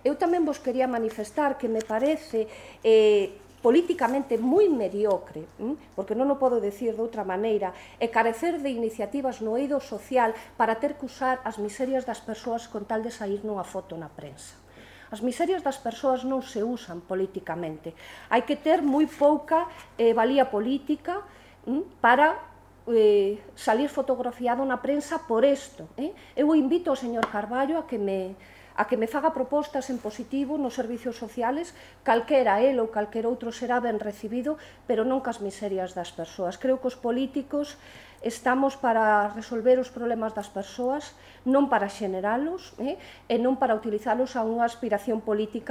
eu tamén vos quería manifestar que me parece políticamente moi mediocre, porque non o podo decir de outra maneira, e carecer de iniciativas no eido social para ter que usar as miserias das persoas con tal de sair nunha foto na prensa. As miserias das persoas non se usan políticamente. Hai que ter moi pouca valía política para salir fotografiado na prensa por isto. Eu invito ao señor Carballo a que me faga propostas en positivo nos servicios sociales, calquera el ou calquera outro será ben recibido, pero non cas miserias das persoas. Creo que os políticos estamos para resolver os problemas das persoas, non para xeneralos, e non para utilizalos a unha aspiración política